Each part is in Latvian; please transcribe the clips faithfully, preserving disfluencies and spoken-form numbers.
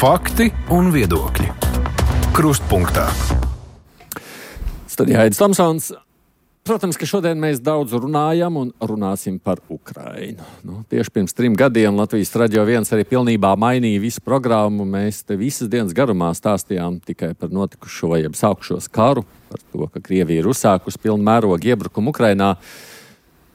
Fakti un viedokļi. Krustpunktā. Studijā Aidis Tomsons. Protams, ka šodien mēs daudz runājam un runāsim par Ukrainu. Nu, tieši pirms trim gadiem Latvijas Radio viens arī pilnībā mainīja visu programmu. Mēs te visas dienas garumā stāstījām tikai par notikušo, jeb sākušos karu, par to, ka Krievija ir uzsākusi pilnu mērogu iebrukumu Ukrainā.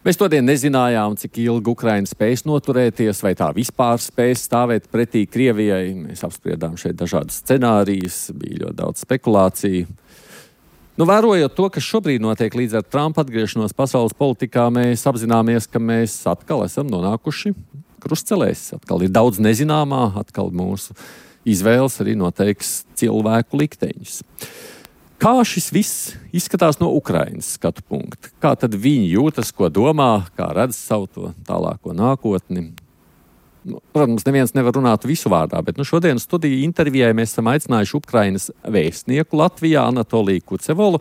Mēs todien nezinājām, cik ilgi Ukraina spēs noturēties, vai tā vispār spēs stāvēt pretī Krievijai. Mēs apspriedām šeit dažādas scenārijas, bija ļoti daudz spekulāciju. Nu, vērojot to, kas šobrīd notiek līdz ar Trumpa atgriešanos pasaules politikā, mēs apzināmies, ka mēs atkal esam nonākuši krustcelēs. Atkal ir daudz nezināmā, atkal mūsu izvēles arī noteiks cilvēku likteņus. Kā šis viss izskatās no Ukrainas skatu punkta? Kā tad viņi jūtas, ko domā, kā redz savu to tālāko nākotni? Protams, neviens nevar runāt visu vārdā, bet nu, šodien studiju intervijai mēs esam aicinājuši Ukrainas vēstnieku Latvijā Anatoliju Kucevolu.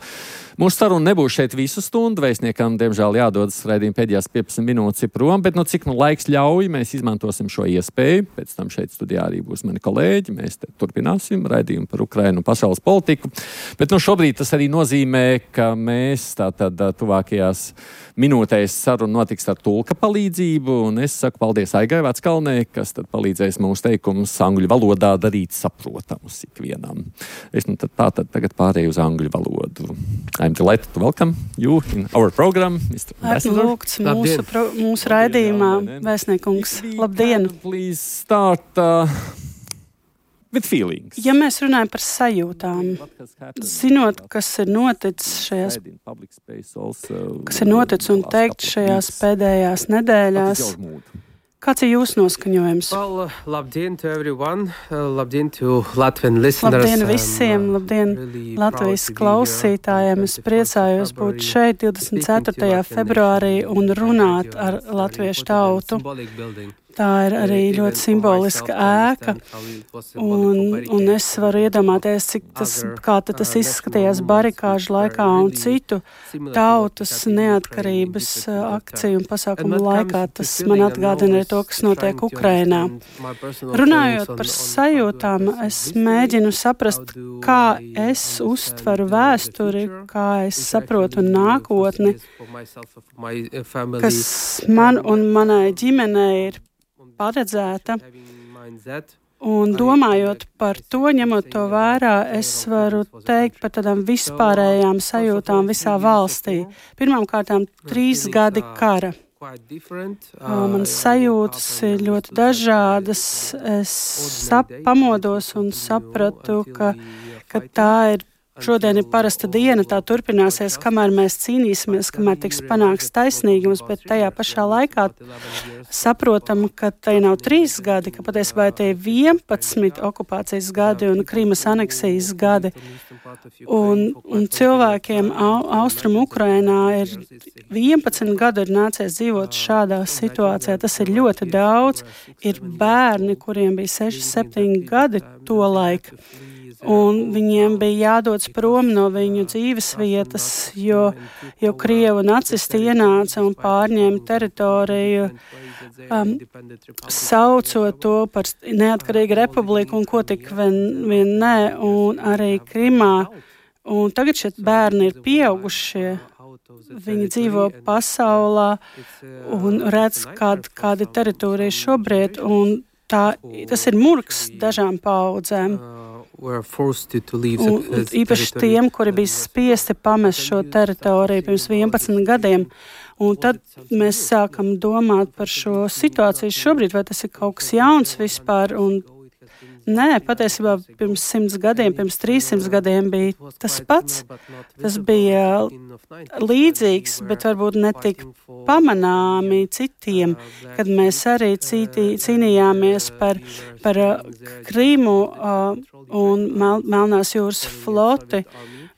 Mūsu saruna nebūs šeit visu stundu, vēstniekam, diemžēl, jādodas raidījuma pēdējās piecdesmit minūtes prom, bet nu, cik nu laiks ļauj, mēs izmantosim šo iespēju. Pēc tam šeit studijā arī būs mani kolēģi, mēs te turpināsim raidījumu par Ukrainu un pasaules politiku. Bet nu, šobrīd tas arī nozīmē, ka mēs tātad tuvākajās minūtēs saruna notiks ar tulka palīdzību, un es saku paldies Aigai Veckalnei, kas tad palīdzēs mūsu teikumus angļu valodā darīt saprotamus ikvienam. Es nu tad tā tad tagad pārēju uz angļu valodu. I'm delighted to welcome you in our program, mister Ambassador. Lūgts mūsu, pro, mūsu raidījumā, vēstniekungs. Labdien! Please start uh, with feelings. Ja mēs runājam par sajūtām, zinot, kas ir noticis šajās, kas ir noticis un teikt šajās pēdējās nedēļās, kāds ir jūsu noskaņojums? Well, labdien to everyone, uh, labdien to Latvian listeners. Labdien visiem, labdien really Latvijas klausītājiem. Es priecājos būt šeit divdesmit ceturtajā februārī un runāt ar latviešu tautu. Tā ir arī ļoti simboliska ēka, un, un es varu iedomāties, cik tas, kā tas izskatījās barikāžu laikā un citu tautas neatkarības akciju un pasākumu laikā. Tas man atgādina arī to, kas notiek Ukrainā. Runājot par sajūtām, es mēģinu saprast, kā es uztveru vēsturi, kā es saprotu nākotni, kas man un manai ģimenei ir paredzēta, un domājot par to, ņemot to vērā, es varu teikt par tādām vispārējām sajūtām visā valstī. Pirmkārtām, trīs gadi kara. Manas sajūtas ir ļoti dažādas. Es sap, pamodos un sapratu, ka, ka tā ir šodien ir parasta diena, tā turpināsies, kamēr mēs cīnīsimies, kamēr tiks panāks taisnīgums, bet tajā pašā laikā saprotam, ka tai nav trīs gadi, ka patiesībā tie ir vienpadsmit okupācijas gadi un Krimas aneksijas gadi. Un, un cilvēkiem au, Austrum Ukrainā ir vienpadsmit gadu ir nācies dzīvot šādā situācijā. Tas ir ļoti daudz. Ir bērni, kuriem bija seši, septiņi gadi to laiku. Un viņiem bija jādodas prom no viņu dzīves vietas, jo, jo Krievu nacisti ienāca un pārņēma teritoriju, um, saucot to par neatkarīgu republiku un ko tik vien, vien nē, un arī Krimā. Un tagad šie bērni ir pieaugušie. Viņi dzīvo pasaulā un redz, kāda, kāda teritorija šobrīd, un tā, tas ir murgs dažām paudzēm. Un, un īpaši tiem, kuri bija spiesti pamest šo teritoriju pirms vienpadsmit gadiem. Un tad mēs sākam domāt par šo situāciju šobrīd, vai tas ir kaut kas jauns vispār. Un nē, patiesībā pirms simts gadiem, pirms trīssimts gadiem bija tas pats. Tas bija līdzīgs, bet varbūt ne tik pamanāmi citiem, kad mēs arī cītī, cīnījāmies par, par Krimu uh, un Mel, Melnās jūras floti.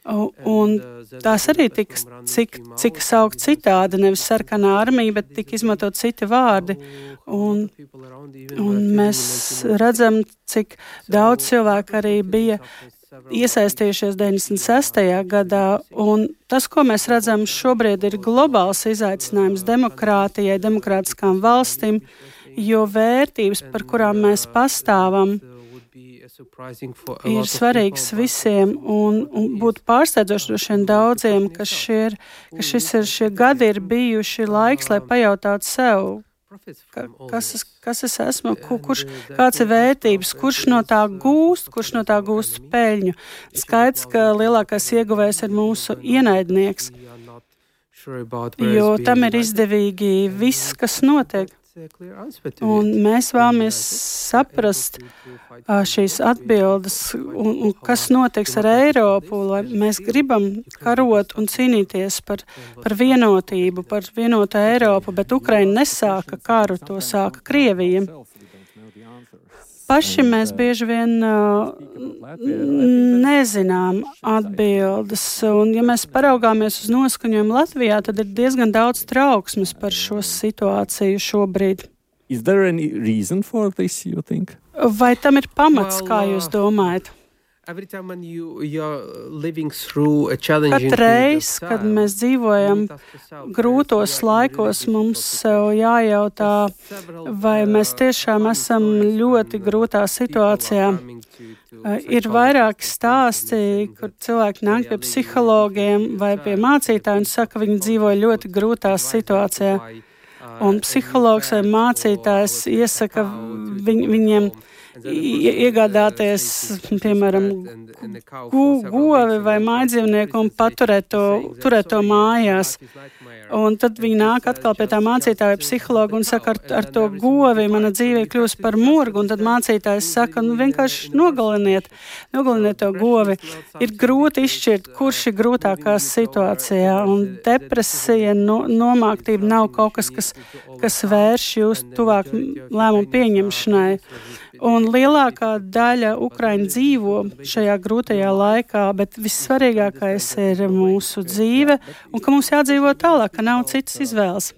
Uh, un tās arī tika cik, cik saukt citādi, nevis sarkanā armija, bet tika izmantot citi vārdi. Un, un mēs redzam, cik daudz cilvēku arī bija iesaistījušies deviņdesmit sestajā gadā, un tas, ko mēs redzam šobrīd, ir globāls izaicinājums demokrātijai, demokrātiskām valstīm, jo vērtības, par kurām mēs pastāvam, ir svarīgs visiem un, un būtu pārsteidzoši droši vien daudziem, ka, šie, ka šis ir, šie gadi ir bijuši laiks, lai pajautātu sev, ka, kas, es, kas es esmu, kur, kurš, kāds ir vērtības, kurš no tā gūst, kurš no tā gūst peļņu. Skaidrs, ka lielākais ieguvējs ir mūsu ienaidnieks, jo tam ir izdevīgi viss, kas notiek. Un mēs vēlamies saprast šīs atbildes, un, un kas notiks ar Eiropu, lai mēs gribam karot un cīnīties par, par vienotību, par vienotu Eiropu, bet Ukraina nesāka karu, to sāka Krievija. Paši mēs bieži vien uh, nezinām atbildes, un ja mēs paraugāmies uz noskaņojumu Latvijā, tad ir diezgan daudz trauksmes par šo situāciju šobrīd. Is there any reason for this, you think? Vai tam ir pamats, kā jūs domājat? Katreiz, kad mēs dzīvojam grūtos laikos, mums sev jājautā, vai mēs tiešām esam ļoti grūtā situācijā. Ir vairāki stāsti, kur cilvēki nāk pie psihologiem vai pie mācītājiem un saka, ka viņi dzīvo ļoti grūtā situācijā. Un psihologs vai mācītājs iesaka viņ, viņiem iegādāties, piemēram, gu, govi vai mājdzīvnieku un paturēt to, turēt to mājās. Un tad viņi nāk atkal pie tā mācītāja psihologa un saka, ar, ar to govi mana dzīve kļūst par murgu, un tad mācītājs saka, nu vienkārši nogaliniet, nogaliniet to govi. Ir grūti izšķirt, kurš ir grūtākā situācijā, un depresija, no, nomāktība nav kaut kas, kas, kas vērš jūs tuvāk lēmumu pieņemšanai. Un lielākā daļa Ukraiņu dzīvo šajā grūtajā laikā, bet vissvarīgākais ir mūsu dzīve un ka mums jādzīvo tālāk, ka nav citas izvēles.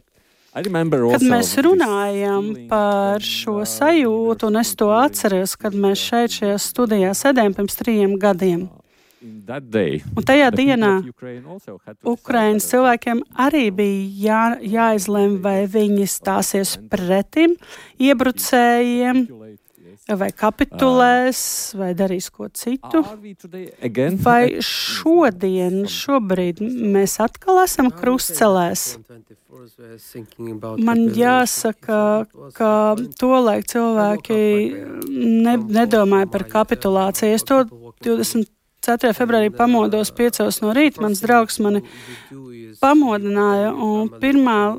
Kad mēs runājam par šo sajūtu, un es to atceros, kad mēs šeit šajā studijā sēdējām pirms trījiem gadiem. Un tajā dienā Ukrainas cilvēkiem arī bija jā, jāizlem, vai viņi stāsies pretim iebrucējiem, vai kapitulēs, vai darīs ko citu. Vai šodien, šobrīd mēs atkal esam krustcelēs? Man jāsaka, ka tolaik cilvēki ne, nedomāja par kapitulāciju. Es to divdesmit ceturtajā februārī pamodos piecos no rīta. Mans draugs mani pamodināja, un pirmā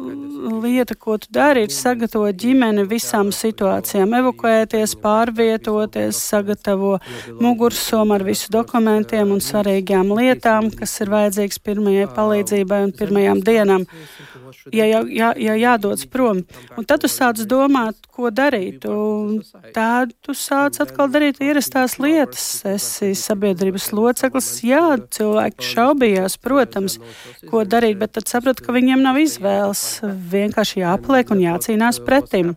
lieta, ko tu dari, ir sagatavot ģimeni visām situācijām, evakuēties, pārvietoties, sagatavo mugursomu ar visu dokumentiem un svarīgām lietām, kas ir vajadzīgs pirmajai palīdzībai un pirmajām dienām, ja, ja, ja, ja jādodas prom. Un tad tu sāc domāt, ko darīt, un tad tu sāc atkal darīt ierastās lietas. Esi sabiedrības loceklis, jā, cilvēki šaubījās, protams, ko darīt, bet tad sapratu, ka viņiem nav izvēles. Vienkārši jāpaliek un jācīnās pretim.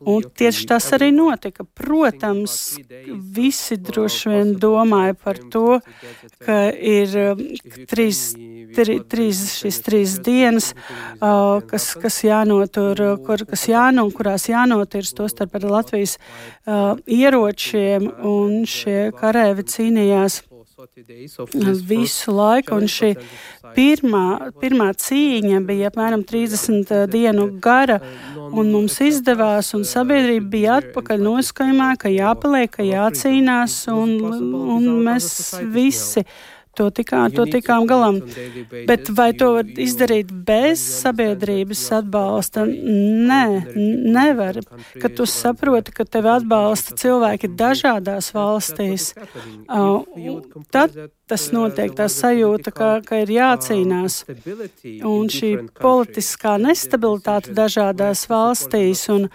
Un tieši tas arī notika. Protams, visi droši vien domāja par to, ka ir trīs, tri, trīs, šīs trīs dienas, uh, kas, kas jānotur, kur, kas jāno, kurās jānotirs, tostarp ar Latvijas uh, ieročiem, un šie karēvi cīnījās visu laiku, un šī pirmā, pirmā cīņa bija apmēram trīsdesmit dienu gara, un mums izdevās, un sabiedrība bija atpakaļ noskaņojumā, ka jāpaliek, ka jācīnās, un, un mēs visi to tikām, to tikām galam. Bet vai to var izdarīt bez sabiedrības atbalsta? Nē, nevar. Kad tu saproti, ka tevi atbalsta cilvēki dažādās valstīs, tad tas notiek, tā sajūta, ka, ka ir jācīnās. Un šī politiskā nestabilitāte dažādās valstīs un,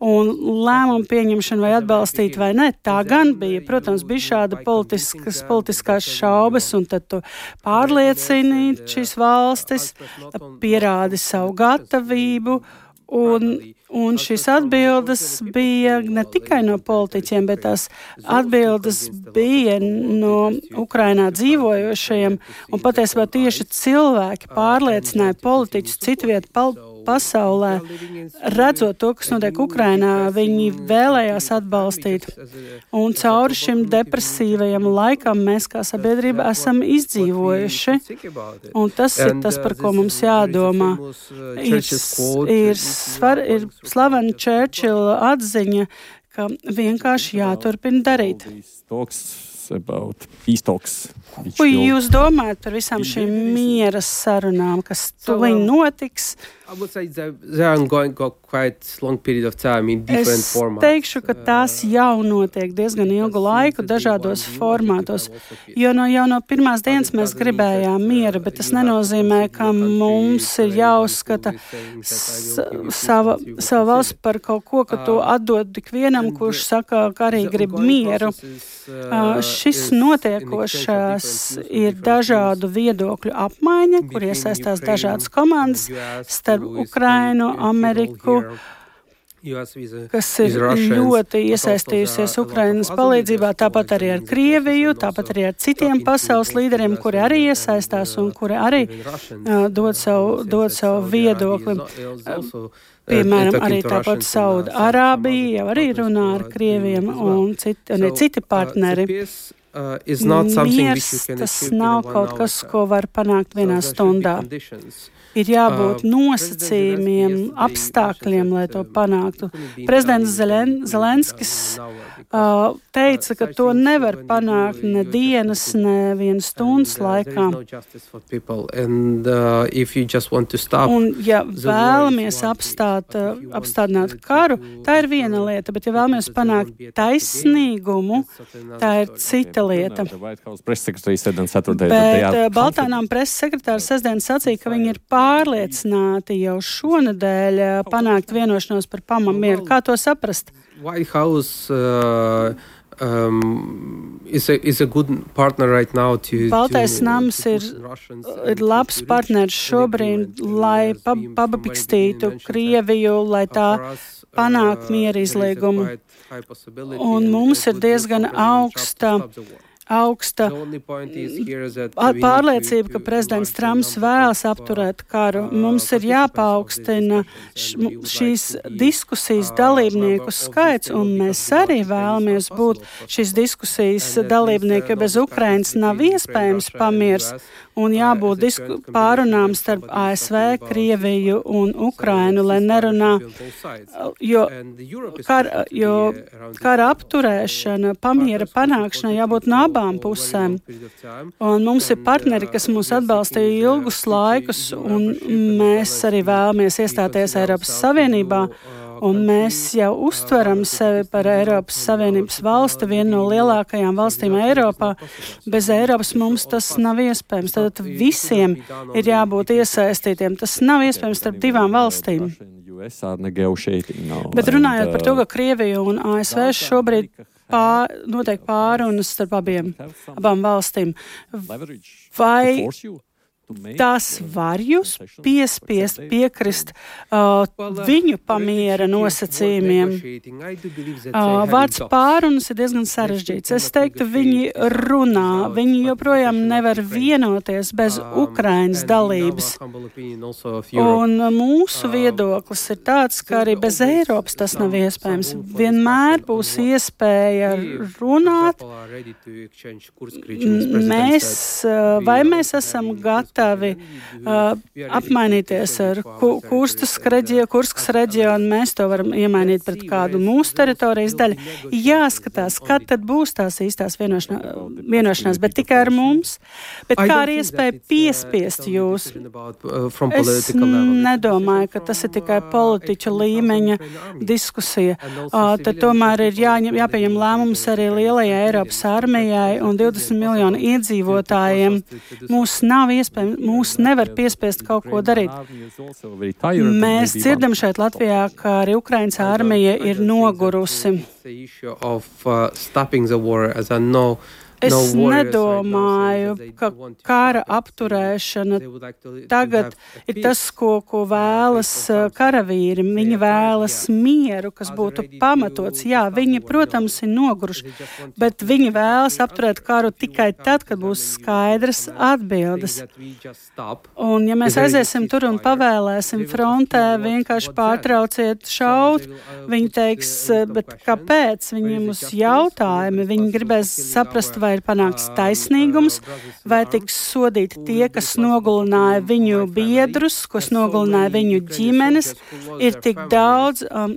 un lēmumu pieņemšana vai atbalstīt vai ne, tā gan bija. Protams, bija šāda politiskas, politiskās šaubas, un tad tu pārliecini šīs valstis, pierādi savu gatavību, un, un šīs atbildes bija ne tikai no politiķiem, bet tās atbildes bija no Ukrainā dzīvojošajiem, un patiesībā tieši cilvēki pārliecināja politiķus citviet pal- pasaulē, redzot to, kas notiek Ukrainā, viņi vēlējās atbalstīt. Un cauri šim depresīvajam laikam mēs kā sabiedrība esam izdzīvojuši. Un tas ir tas, par ko mums jādomā. Ir, ir, svar, ir slavena Churchilla atziņa, ka vienkārši jāturpina darīt. About peace talks. Ko jūs domājat par visām šīm miera sarunām, kas tuliņ notiks? Es teikšu, ka tās jau notiek diezgan ilgu laiku dažādos formātos, jo no jau no pirmās dienas mēs gribējām miera, bet tas nenozīmē, ka mums ir jāuzskata s- sava, sava valsts par kaut ko, ka to atdod tik vienam, kurš saka, ka arī grib mieru. Uh, šis notiekošās ir dažādu viedokļu apmaiņa, kur iesaistās dažādas komandas starp Ukrainu, Ameriku, kas ir ļoti iesaistījusies Ukrainas palīdzībā, tāpat arī ar Krieviju, tāpat arī ar citiem pasaules līderiem, kuri arī iesaistās un kuri arī uh, dod savu, dod savu viedokli. Uh, Piemēram, arī tāpat Sauda Arābija jau arī runā ar Krieviem un citi, un citi partneri. Miers, tas nav kaut kas, ko var panākt vienā stundā. Ir jābūt nosacījumiem, apstākļiem, lai to panāktu. Prezidents Zelen, Zelenskis uh, teica, ka to nevar panākt ne dienas, ne vienas stundas laikā. Un ja vēlamies apstāt, uh, apstādināt karu, tā ir viena lieta, bet ja vēlamies panākt taisnīgumu, tā ir cita lieta. Bet uh, Baltānām preses sekretārs sestdien sacīja, ka viņi ir pārliecināti jau šonedēļ panākt vienošanos par pamamieru. Kā to saprast? White House uh, um, is, a, is a good partner right now to, Baltais to, nams to ir, ir labs partners šobrīd, lai pa, pabikstītu Krieviju, lai tā panāk miera izlīgumu. Un mums ir diezgan augsta augsta pārliecība, ka prezidents Trumps vēlas apturēt karu. Mums ir jāpaukstina šīs diskusijas dalībnieku skaits, un mēs arī vēlamies būt šīs diskusijas dalībnieki, jo bez Ukrainas nav iespējams pamiers, un jābūt disku, pārunām starp A S V, Krieviju un Ukrainu, lai nerunā, jo, kar, jo kara apturēšana, pamiera panākšana jābūt no abām pusēm. Un mums ir partneri, kas mūs atbalstīja ilgus laikus, un mēs arī vēlamies iestāties Eiropas Savienībā, un mēs jau uztveram sevi par Eiropas Savienības valsti, vienu no lielākajām valstīm Eiropā. Bez Eiropas mums tas nav iespējams. Tad visiem ir jābūt iesaistītiem. Tas nav iespējams starp divām valstīm. Bet runājot par to, ka Krievija un A S V šobrīd pār, notiek pārunas starp abiem, abām valstīm, vai tās var jūs piespiest piekrist uh, viņu pamiera nosacījumiem. Uh, vārds pārunas ir diezgan sarežģīts. Es teiktu, viņi runā, viņi joprojām nevar vienoties bez Ukrainas dalības. Un mūsu viedoklis ir tāds, ka arī bez Eiropas tas nav iespējams. Vienmēr būs iespēja runāt. Mēs, vai mēs esam gatavi gatavi uh, apmainīties ar ku, Kurskas reģionu, Kurskas reģionu, mēs to varam iemainīt pret kādu mūsu teritorijas daļu. Jāskatās, kad tad būs tās īstās vienošanās, vienošanās bet tikai ar mums. Bet kā ar iespēju piespiest jūs? Es nedomāju, ka tas ir tikai politiķu līmeņa diskusija. Uh, tad tomēr ir jāņem, jāpieņem lēmums arī lielajai Eiropas armijai un divdesmit miljonu iedzīvotājiem. Mūs nav iespējams, mūs nevar piespiest kaut ko darīt. Mēs dzirdam šeit Latvijā, ka arī Ukrainas armija ir nogurusi. Es nedomāju, ka kara apturēšana tagad ir tas, ko, ko vēlas karavīri. Viņi vēlas mieru, kas būtu pamatots. Jā, viņi, protams, ir noguruši, bet viņi vēlas apturēt karu tikai tad, kad būs skaidras atbildes. Un ja mēs aiziesim tur un pavēlēsim frontē, vienkārši pārtrauciet šaut, viņi teiks, bet kāpēc? Viņiem uz jautājumi, viņi gribēs saprast, vai ir panākts taisnīgums, vai tiks sodīti tie, kas nogalināja viņu biedrus, kas nogalināja viņu ģimenes. Ir tik daudz um,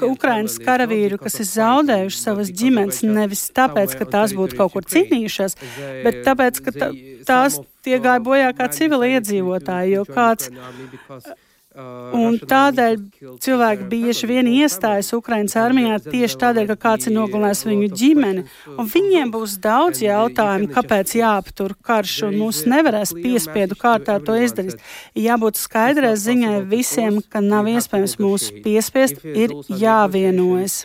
Ukrainas karavīru, kas ir zaudējuši savas ģimenes, nevis tāpēc, ka tās būtu kaut kur cīnījušās, bet tāpēc, ka tā, tās tie gāja bojā kā civili iedzīvotāji, jo kāds... Un tādēļ cilvēki bieži vien iestājas Ukrainas armijā tieši tādēļ, ka kāds ir nogalinājis viņu ģimeni. Un viņiem būs daudz jautājumu, kāpēc jāaptur karš, un mūs nevarēs piespiedu kārtā to izdarīt. Jābūt skaidrai ziņai visiem, ka nav iespējams mūs piespiest, ir jāvienojas.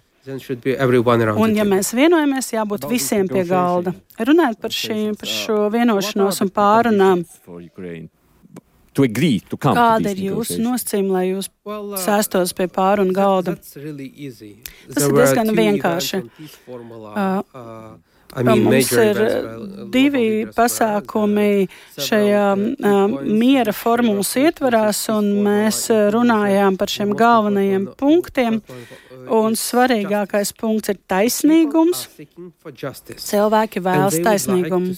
Un ja mēs vienojamies, jābūt visiem pie galda. Runājot par, šī, par šo vienošanos un pārunām. Kāda ir jūsu nosacījuma, lai jūs sēstos pie pārunu galda? Tas ir diezgan vienkārši. Uh, Mums ir divi pasākumi šajā uh, miera formulas ietvarās, un mēs runājām par šiem galvenajiem punktiem. Un svarīgākais punkts ir taisnīgums. Cilvēki vēlas taisnīgumu.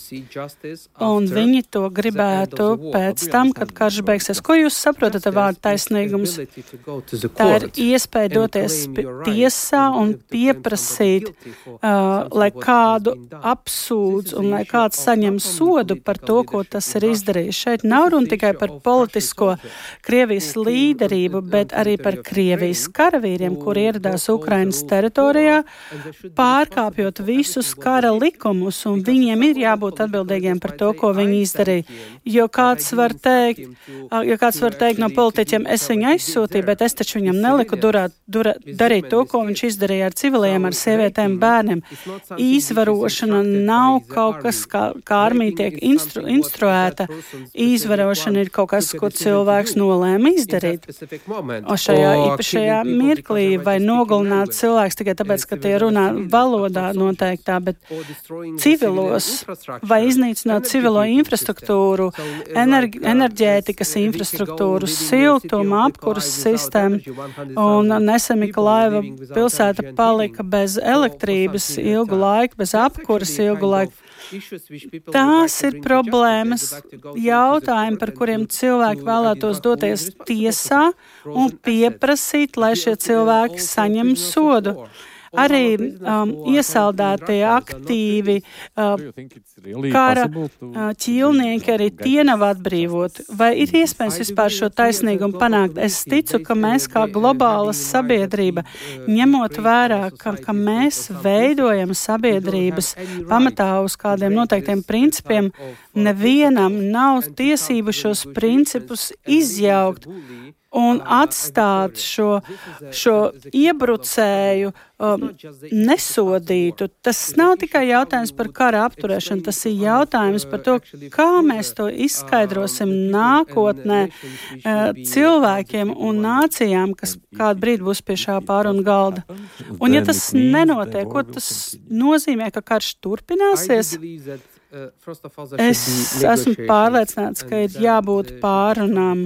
Un viņi to gribētu pēc tam, kad karš beigsies. Ko jūs saprotat ar vārdu taisnīgums? Tā ir iespēja doties tiesā un pieprasīt, uh, lai kādu apsūdz un lai kāds saņem sodu par to, ko tas ir izdarījis. Šeit nav runa tikai par politisko Krievijas līderību, bet arī par Krievijas karavīriem, kuri ieradās Ukrainas teritorijā, pārkāpjot visus kara likumus, un viņiem ir jābūt atbildīgiem par to, ko viņi izdarīja. Jo kāds var teikt, jo kāds var teikt no politiķiem, es viņu aizsūtīju, bet es taču viņam neliku durāt, durā, darīt to, ko viņš izdarīja ar civiliem, ar sievietēm, bērniem. Izvarošana nav kaut kas, kā, kā armija tiek instru, instruēta. Izvarošana ir kaut kas, ko cilvēks nolēma izdarīt. O šajā īpašajā mirklī vai nogalināt cilvēks tikai tāpēc, ka tie runā valodā noteiktā, bet civilos vai iznīcināt civilo infrastruktūru, energi, enerģētikas infrastruktūru, siltuma, apkuras sistēmu. Un nesen Mikolaiva pilsēta palika bez elektrības ilgu laiku, bez apkuras ilgu laiku. Tās ir problēmas, jautājumi, par kuriem cilvēki vēlētos doties tiesā un pieprasīt, lai šie cilvēki saņem sodu. Arī um, iesaldētie aktīvi uh, kara uh, ķīlnieki, arī tie nav atbrīvoti. Vai ir iespējams vispār šo taisnīgumu panākt? Es ticu, ka mēs kā globāla sabiedrība, ņemot vērā, ka, ka mēs veidojam sabiedrības pamatā uz kādiem noteiktiem principiem, nevienam nav tiesību šos principus izjaukt un atstāt šo, šo iebrucēju um, nesodītu. Tas nav tikai jautājums par kara apturēšanu, tas ir jautājums par to, kā mēs to izskaidrosim nākotnē uh, cilvēkiem un nācijām, kas kādu brīdi būs pie šā pārunu galda. Un ja tas nenotiek, ko tas nozīmē, ka karš turpināsies? Es esmu pārliecināts, ka ir jābūt pārunām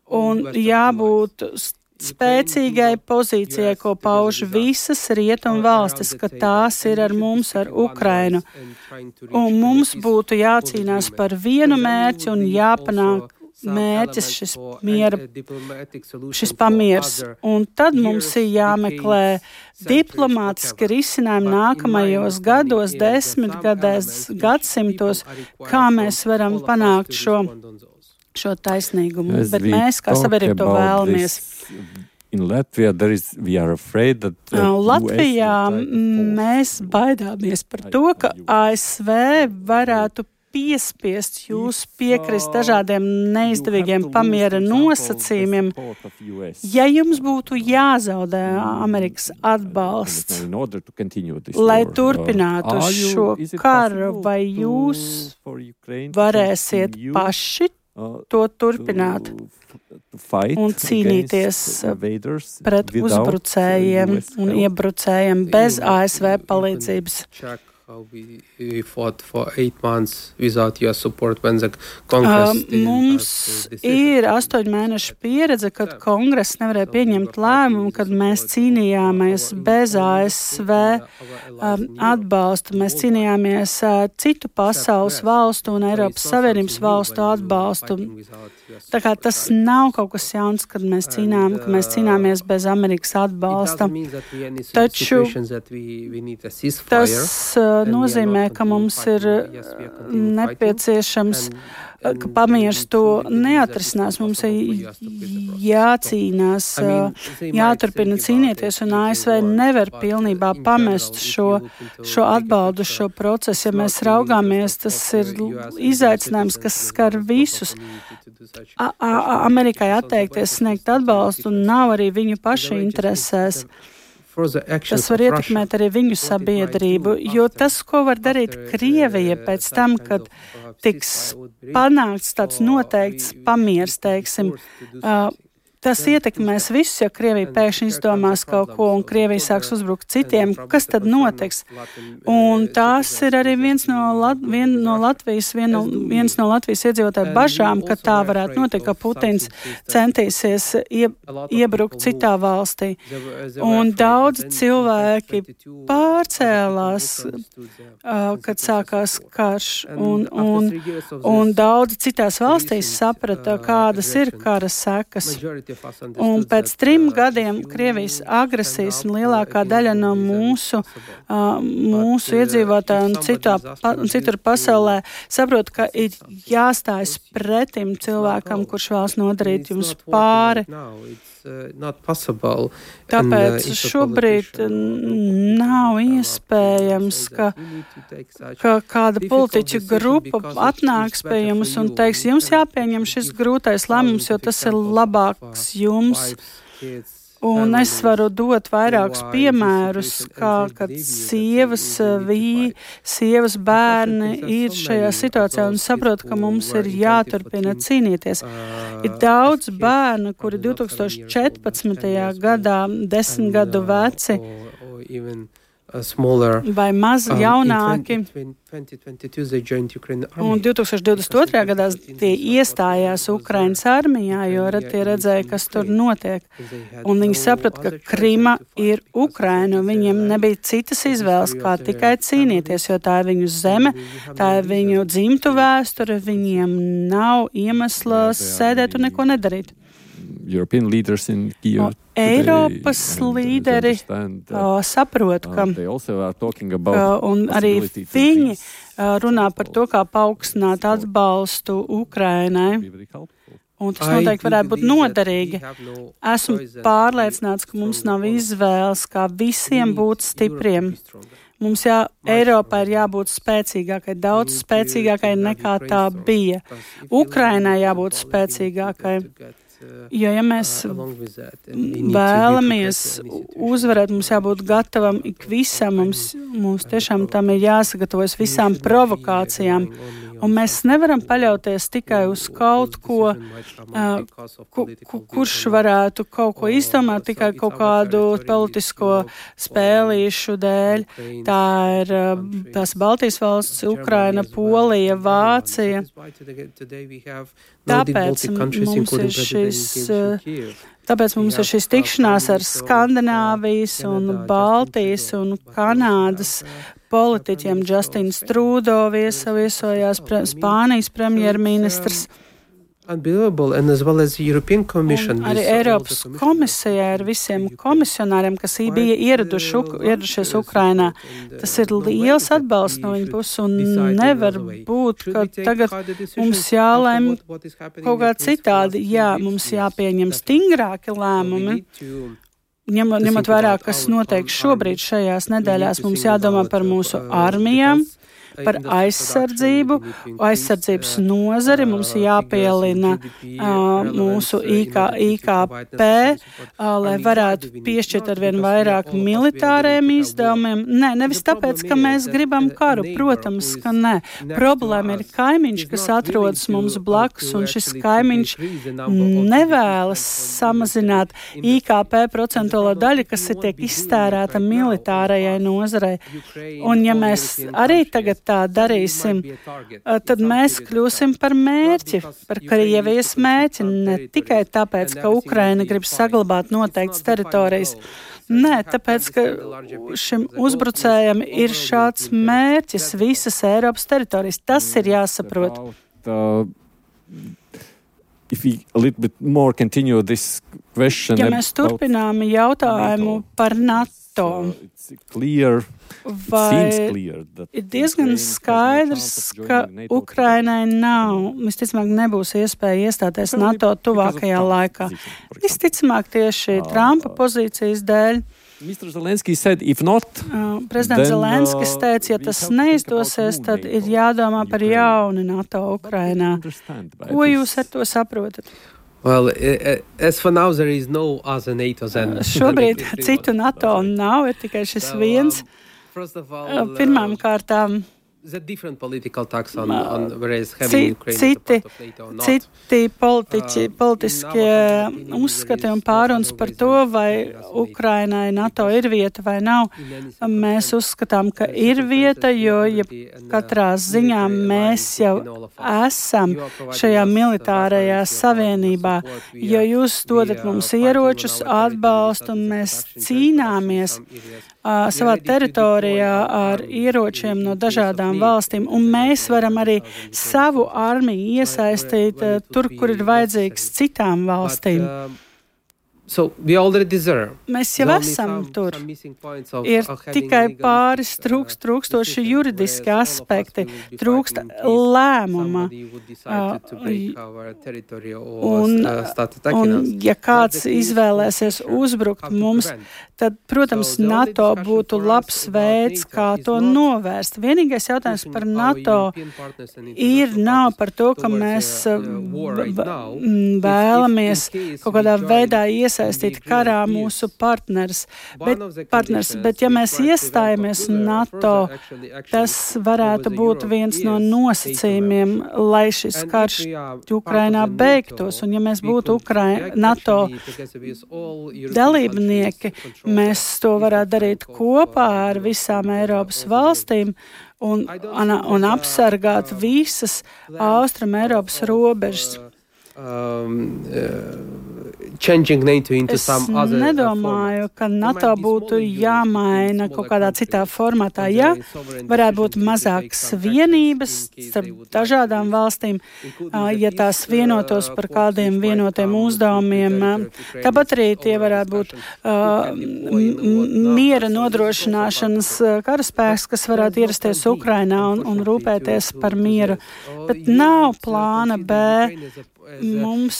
un jābūt spēcīgai pozīcijai, ko pauž visas rietumu valstis, ka tās ir ar mums, ar Ukrainu. Un mums būtu jācīnās par vienu mērķi un jāpanāk mērķis, šis miera, šis pamiers. Un tad mums ir jāmeklē diplomātiski risinājumi nākamajos gados, desmitgadēs, gadsimtos, kā mēs varam panākt šo, šo taisnīgumu. As Bet mēs, kā sabiedrība, to vēlamies. In Latvia, there is, we are afraid that uh, Latvijā mēs baidāmies par to, ka A S V varētu piespiest jūs piekrist dažādiem neizdevīgiem pamiera nosacījumiem, ja jums būtu jāzaudē Amerikas atbalsts, lai turpinātu šo karu, vai jūs varēsiet paši to turpināt un cīnīties pret uzbrucējiem un iebrucējiem bez A S V palīdzības? We fought for eight months without your support when the Congress uh, mums ir astoņu mēnešu pieredze, kad Kongress nevarēja pieņemt lēmumu, kad mēs cīnījāmies bez A S V um, atbalsta. Mēs cīnījāmies uh, citu pasaules valstu un Eiropas Savienības valstu atbalstu. Tā kā tas nav kaut kas jauns, kad mēs cīnām, kad mēs cīnāmies bez Amerikas atbalsta. Taču tas uh, nozīmē, ka mums ir nepieciešams, ka pamiers to neatrisinās. Mums ir jācīnās, jāturpina cīnīties, un A S V nevar pilnībā pamest šo, šo atbaldu, šo procesu. Ja mēs raugāmies, tas ir izaicinājums, kas skar visus. A, a, Amerikai atteikties sniegt atbalstu un nav arī viņu pašu interesēs. Tas var ietekmēt arī viņu sabiedrību, jo tas, ko var darīt Krievija pēc tam, kad tiks panākts tāds noteikts pamiers, teiksim, uh, tas ietekmēs visus, ja Krievija pēkšņi izdomās kaut ko un Krievija sāks uzbrukt citiem. Kas tad notiks? Un tās ir arī viens no, Lat- vien no Latvijas, vien no, viens no Latvijas iedzīvotāju bažām, ka tā varētu notikt, ka Putins centīsies ie, iebrukt citā valstī. Un daudz cilvēki pārcēlās, uh, kad sākās karš, un, un, un daudz citās valstīs saprata, kādas ir kara sekas. Un pēc trim gadiem Krievijas agresijas un lielākā daļa no mūsu, uh, mūsu iedzīvotāju un citā, pa, citur pasaulē saprot, ka ir jāstājas pretim cilvēkam, kurš vēlas nodarīt jums pāri. Tāpēc šobrīd nav iespējams, ka, ka kāda politiķu grupa atnāks pie jums un teiks, jums jāpieņem šis grūtais lēmums, jo tas ir labāks jums. Un es varu dot vairākus piemērus, kā, kad sievas, vī, sievas bērni ir šajā situācijā un saprot, ka mums ir jāturpina cīnīties. Ir daudz bērnu, kuri divtūkstoš četrpadsmitajā gadā, desmit gadu veci, vai maz jaunāki, un divtūkstoš divdesmit otrajā gadā tie iestājās Ukrainas armijā, jo tie redzēja, kas tur notiek. Un viņi saprata, ka Krima ir Ukraina, un viņiem nebija citas izvēles, kā tikai cīnīties, jo tā ir viņu zeme, tā ir viņu dzimtu vēsture, viņiem nav iemesla sēdēt un neko nedarīt. European leaders in Kyiv. Eiropas līderi uh, saprot, ka, ka un arī viņi uh, runā par to, kā paaugstināt atbalstu Ukrainai. Un tas noteikti varētu būt noderīgi. Esmu pārliecināts, ka mums nav izvēles, kā visiem būt stipriem. Mums jā, Eiropā ir jābūt spēcīgākai, daudz spēcīgākai nekā tā bija. Ukrainai jābūt spēcīgākai. Jo, ja mēs vēlamies uzvarēt, mums jābūt gatavam ikvisam, mums, mums tiešām tam ir jāsagatavojas visām provokācijām. Un mēs nevaram paļauties tikai uz kaut ko, uh, ku, ku, kurš varētu kaut ko izdomāt tikai kaut kādu politisko spēlīšu dēļ. Tā ir uh, tās Baltijas valsts, Ukraina, Polija, Vācija. Tāpēc mums ir šis, tāpēc mums ir šis tikšanās ar Skandināvijas un Baltijas un Kanādas politiķiem. Justins Trudo viesojās pre, Spānijas premjerministrs. And as well as the European Commission. Un arī Eiropas komisijā ar visiem komisionāriem, kas bija ieraduši, ieradušies Ukrainā. Tas ir liels atbalsts no viņa puses un nevar būt, ka tagad mums jālēm kaut kā citādi. Jā, mums jāpieņem stingrāki lēmumi. Ņemot, ņemot vērā, kas notiek šobrīd šajās nedēļās, mums jādomā par mūsu armijām. par aizsardzību, aizsardzības nozari. Mums jāpielina uh, mūsu I K P, uh, lai varētu piešķirt arvien vairāk militāriem izdevumiem. Nē, nevis tāpēc, ka mēs gribam karu. Protams, ka nē. Problēma ir kaimiņš, kas atrodas mums blakus, un šis kaimiņš nevēlas samazināt I K P procentuālo daļu, kas ir tiek iztērēta militārajai nozarei. Un ja mēs arī tagad tā darīsim, tad mēs kļūsim par mērķi, par Krievijas mērķi, ne tikai tāpēc, ka Ukraina grib saglabāt noteiktas teritorijas. Nē, tāpēc, ka šim uzbrucējam ir šāds mērķis visas Eiropas teritorijas. Tas ir jāsaprot. Uh, if we a little bit more continue this question. Ja mēs turpinām jautājumu par NATO, clear, vai ir diezgan skaidrs, ka Ukrainai nav, visticamāk, nebūs iespēja iestāties NATO tuvākajā laikā. Visticamāk tieši Trumpa pozīcijas dēļ. mister Zelenskis said, if not, uh, Prezidents Zelenskis teica, ja tas neizdosies, tad ir jādomā par jaunu NATO Ukrainā. Ko jūs ar to saprotat? Well, as for now, there is no other NATO than Šobrīd citu NATO nav, ir tikai šis viens. Pirmām kārtām different political tax on, on whereas having Ukraine citi, part of NATO or not. citi politiķi, politiskie uzskati un pārunas par to, vai Ukrainai NATO ir vieta vai nav. Mēs uzskatām, ka ir vieta, jo ja katrā ziņā mēs jau esam šajā militārajā savienībā, jo jūs dodat mums ieročus, atbalstu un mēs cīnāmies uh, savā teritorijā ar ieročiem no dažādām valstīm, un mēs varam arī savu armiju iesaistīt uh, tur, kur ir vajadzīgs citām valstīm. But, uh, So we already there. Mēs jau esam tur. Ir tikai pāris trūkst, trūkstoši juridiski aspekti, trūkst lēmuma. Un, un ja kāds izvēlēsies uzbrukt mums, tad, protams, NATO būtu labs veids, kā to novērst. Vienīgais jautājums par NATO ir nav par to, ka mēs vēlamies kaut kādā veidā iesaistīt karā mūsu partners. Bet, partners. Bet ja mēs iestājamies NATO, tas varētu būt viens no nosacījumiem, lai šis karš Ukrainā beigtos. Un ja mēs būtu Ukrai- NATO dalībnieki, mēs to varētu darīt kopā ar visām Eiropas valstīm un, un, un apsargāt visas Austrum Eiropas robežas. Um, uh, changing NATO into es some other nedomāju, ka NATO būtu jāmaina kaut kādā citā formātā. Ja varētu būt mazākas vienības starp dažādām valstīm, ja tās vienotos par kādiem vienotiem uzdevumiem. Tāpat arī tie varētu būt uh, miera nodrošināšanas karaspēks, kas varētu ierasties Ukrainā un, un rūpēties par mieru. Bet nav plāna B. Mums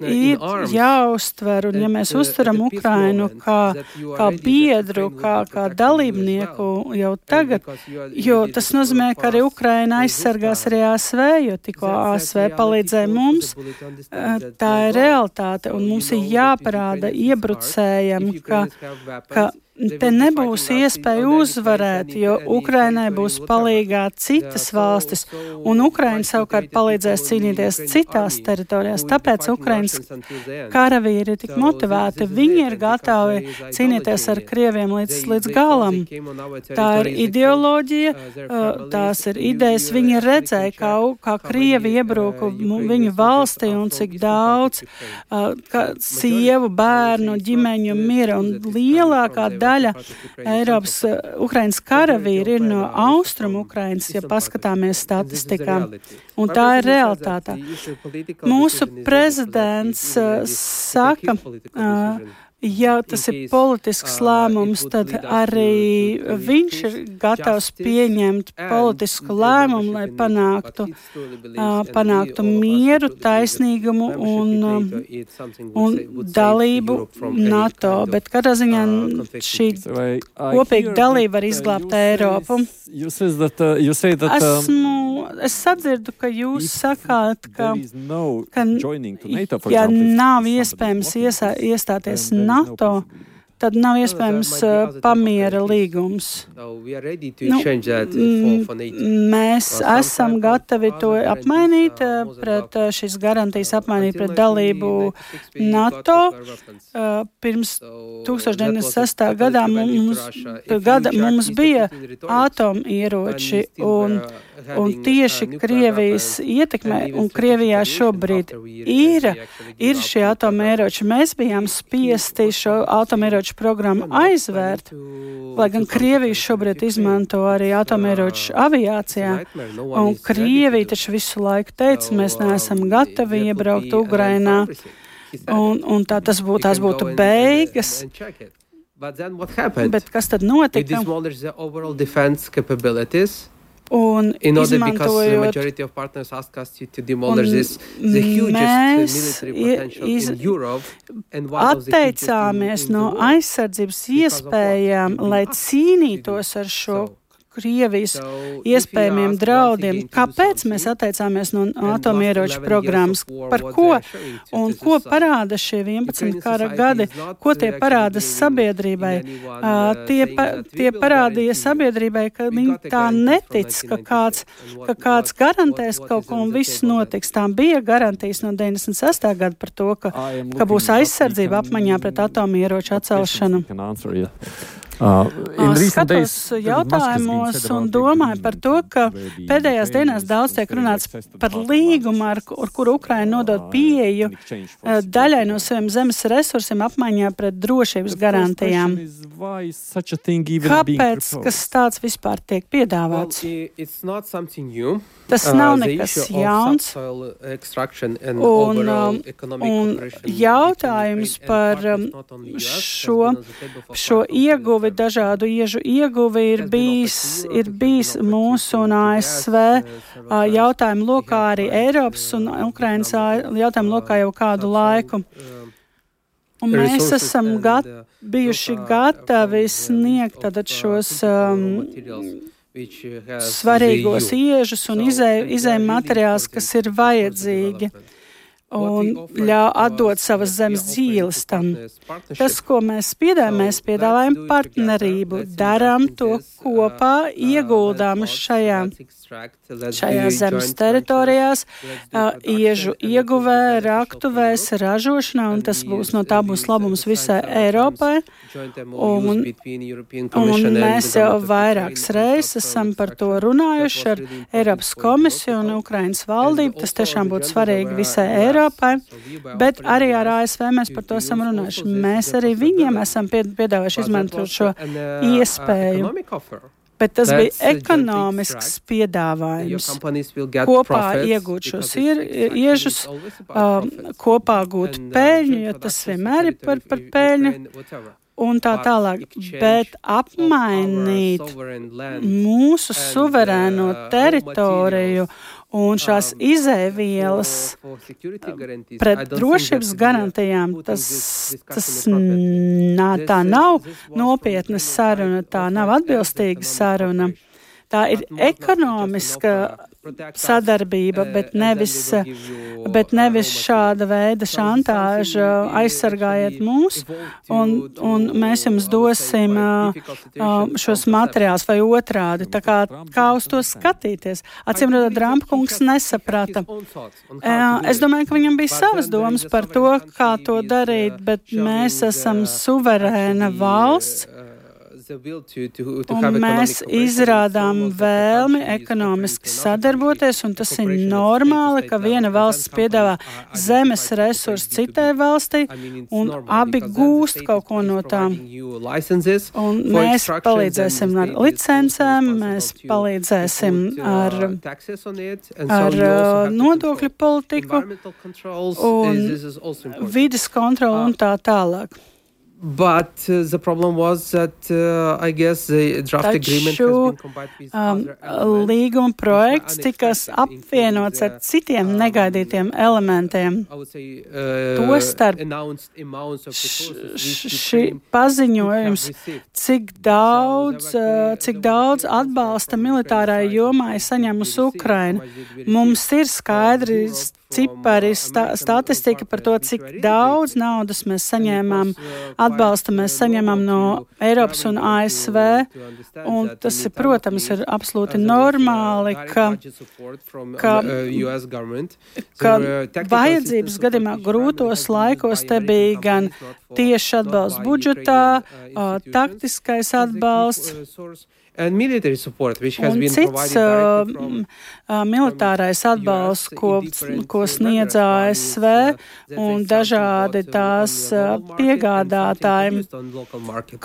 ir jāuztver, un ja mēs uztveram Ukrainu kā, kā biedru, kā, kā dalībnieku jau tagad, jo tas nozīmē, ka arī Ukraina aizsargās arī A S V, jo tikko A S V palīdzēja mums, tā ir realitāte, un mums ir jāparāda iebrucējiem, ka, ka te nebūs iespēja uzvarēt, jo Ukrainai būs palīgā citas valstis, un Ukraina savukārt palīdzēs cīnīties citās teritorijās. Tāpēc Ukrainas karavīri ir tik motivēti. Viņi ir gatavi cīnīties ar Krieviem līdz, līdz galam. Tā ir ideoloģija, tās ir idejas. Viņi redzēja, kā, kā Krievi iebruka viņu valstī un cik daudz kā sievu, bērnu, ģimeņu mira, un lielākā daļa Eiropas Ukrainas karavīri ir no Austrum Ukrainas, ja paskatāmies statistikā. Un tā ir realitāte. Mūsu prezidents uh, saka, uh, ja tas ir politisks lēmums, tad arī viņš ir gatavs pieņemt politisku lēmumu, lai panāktu, panāktu mieru, taisnīgumu un, un dalību NATO. Bet katrā ziņā šī kopīga dalība var izglābt Eiropu. Esmu, es sadzirdu, ka jūs sakāt, ka, ka ja nav iespējams iesā, iestāties NATO, tad nav iespējams uh, pamiera līgums. Nu, mēs esam gatavi to apmainīt uh, pret uh, šīs garantijas apmainīt pret dalību NATO. Uh, pirms tūkstoš deviņsimt sestā gadā mums, gada mums bija atomieroči un, un tieši Krievijas ietekmē un Krievijā šobrīd ir, ir šie atomieroči. Mēs bijām spiesti šo atomieroču programmu aizvērt, lai gan Krievija šobrīd izmanto arī atomieroču aviācijā. Un Krievija taču visu laiku teica, mēs neesam gatavi iebraukt Ukrainā. Un, un tā tas būtu, tās būtu beigas. Bet kas tad notika? Un izmantojot, un mēs iz, atteicāmies no aizsardzības iespējām, lai cīnītos ar šo Krievijas iespējamiem draudiem. Kāpēc mēs atteicāmies no atomieroču programmas? Par ko? Un ko parāda šie vienpadsmit kara gadi? Ko tie parāda sabiedrībai? Uh, tie, pa, tie parādīja sabiedrībai, ka viņi tā netic, ka kāds, ka kāds garantēs kaut ko un viss notiks. Tā bija garantijas no deviņdesmit sestā gada par to, ka, ka būs aizsardzība apmaiņā pret atomieroču atcelšanu. Uh, Skatos jautājumos un domāju par to, ka pēdējās dienās daudz tiek runāts par līgumu, ar, ar kuru Ukraina nodod pieeju uh, daļai no saviem zemes resursiem apmaiņā pret drošības garantijām. Kāpēc, kas tāds vispār tiek piedāvāts? Tas nav nekas jauns. Un, un jautājums par šo, šo ieguvi, dažādu iežu ieguvi ir bijis, ir bijis mūsu un A S V jautājumu lokā, arī Eiropas un Ukrainas jautājumu lokā jau kādu laiku. Un mēs esam gat, bijuši gatavi sniegt tātad šos um, svarīgos iežus un izēju materiālus, kas ir vajadzīgi, un ļauj atdot savas zemes dzīves tam. Tas, ko mēs piedāvājam, mēs piedāvājam partnerību, darām to kopā, ieguldām šajā, šajā zemes teritorijās, iežu ieguvē, raktuvēs, ražošanā, un tas būs, no tā būs labums visai Eiropai. Un, un mēs jau vairākas reizes esam par to runājuši ar Eiropas komisiju un Ukrainas valdību. Tas tiešām būtu svarīgi visai Eiropai, bet arī ar A S V mēs par to esam runājuši. Mēs arī viņiem esam piedāvājuši izmantot šo iespēju. Bet tas bija ekonomisks piedāvājums. Kopā iegūt šos iežus, um, kopā gūt peļņu, jo tas vienmēr ir par, par peļņu. Un tā tālāk, bet apmainīt mūsu suverēno teritoriju un šās izēvielas pret drošības garantijām, tas, tas nā, tā nav nopietna saruna, tā nav atbilstīga saruna. Tā ir ekonomiska sadarbība, bet nevis, bet nevis šāda veida šantāža aizsargājiet mūs, un, un mēs jums dosim šos materiālus vai otrādi. Tā kā, kā uz to skatīties? Acīm redzot, Trumpa kungs nesaprata. Es domāju, ka viņam bija savas domas par to, kā to darīt, bet mēs esam suverēna valsts. Un mēs izrādām vēlmi ekonomiski sadarboties, un tas ir normāli, ka viena valsts piedāvā zemes resursus citai valstī, un abi gūst kaut ko no tām. Un mēs palīdzēsim ar licencēm, mēs palīdzēsim ar, ar nodokļu politiku un vides kontroli un tā tālāk. But uh, the problem was that uh, I guess the draft agreement has been combined with um, other elements. Līguma projekts tika apvienots ar citiem um, negaidītiem elementiem. I would say, uh, Tostarp šī paziņojums, cik daudz, uh, cik daudz atbalsta militārai jomai saņemusi Ukraina. Mums ir skaidri cipari, sta, statistika par to, cik daudz naudas mēs saņēmām, atbalsta mēs saņemam no Eiropas un A S V, un tas, ir, protams, ir absolūti normāli, ka, ka, ka vajadzības gadījumā grūtos laikos te bija gan tieši atbalsts budžetā, taktiskais atbalsts, And military support, which has un been cits uh, from, uh, militārais atbalsts, ko, ko sniedz A S V un dažādi tās uh, piegādātāji.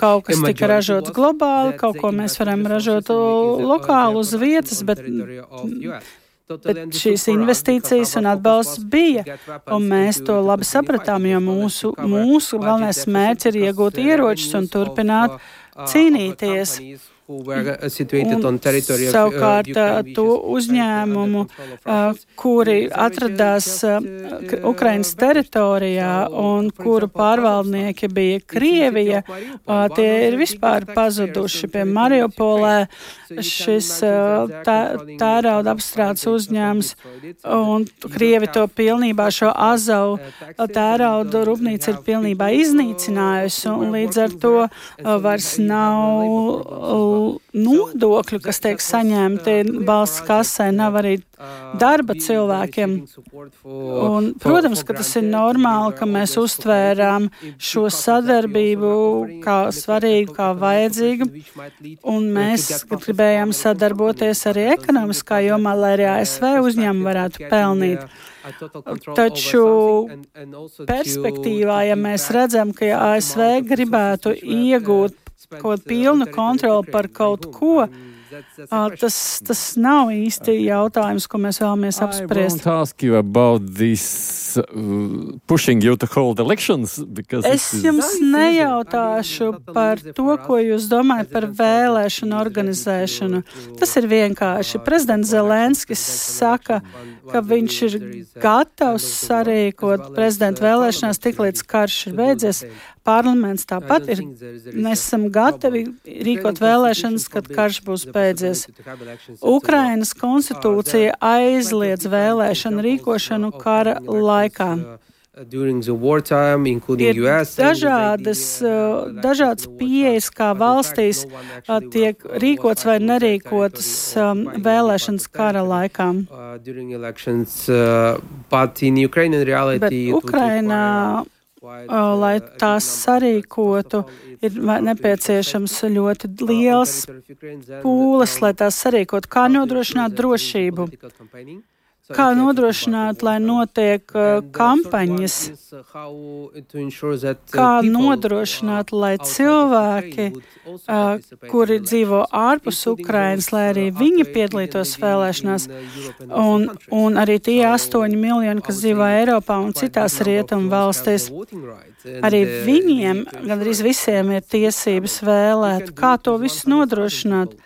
Kaut kas tika ražots globāli, kaut ko mēs varam ražot lokāli uz vietas, bet, bet šīs investīcijas un atbalsts bija, un mēs to labi sapratām, jo mūsu, mūsu galvenais mērķis ir iegūt ieročus un turpināt cīnīties. Un savukārt to uzņēmumu, kuri atradās Ukrainas teritorijā un kuru pārvaldnieki bija Krievija, tie ir vispār pazuduši. Pie Mariupolē šis tērauda apstrādes uzņēmums, un Krievi to pilnībā, šo Azavu tērauda rūpnīca ir pilnībā iznīcinājusi, un līdz ar to vairs nav nodokļu, kas tiek saņemti valsts kasē, nav arī darba cilvēkiem. Un, protams, ka tas ir normāli, ka mēs uztvērām šo sadarbību kā svarīgu, kā vajadzīgu, un mēs gribējām sadarboties arī ekonomiskā jomā, lai arī A S V uzņēmumi varētu pelnīt. Taču perspektīvā, ja mēs redzam, ka A S V gribētu iegūt kaut pilnu kontroli par kaut ko, tas, tas nav īsti jautājums, ko mēs vēlamies apspriest. I won't ask you about this uh, pushing you to hold elections. Es jums nejautāšu par to, ko jūs domājat par vēlēšanu organizēšanu. Tas ir vienkārši. Prezidents Zelenskis saka, ka viņš ir gatavs sarīkot prezidenta vēlēšanās tik līdz karš ir beidzies. Parlaments tāpat ir, mēs esam gatavi rīkot vēlēšanas, kad karš būs beidzies. Ukrainas konstitūcija aizliedz vēlēšanu rīkošanu kara laikā. Ir dažādas, dažādas pieejas, kā valstīs tiek rīkots vai nerīkotas vēlēšanas kara laikā. Bet Ukrainā, lai tās sarīkotu, ir nepieciešams ļoti liels pūles, lai tās sarīkotu. Kā nodrošināt drošību? Kā nodrošināt, lai notiek uh, kampaņas? Kā nodrošināt, lai cilvēki, uh, kuri dzīvo ārpus Ukrainas, lai arī viņi piedalītos vēlēšanās, un, un arī tie astoņi miljoni, kas dzīvo Eiropā un citās rietumu valstīs, arī viņiem, gandrīz visiem, ir tiesības vēlēt. Kā to visu nodrošināt?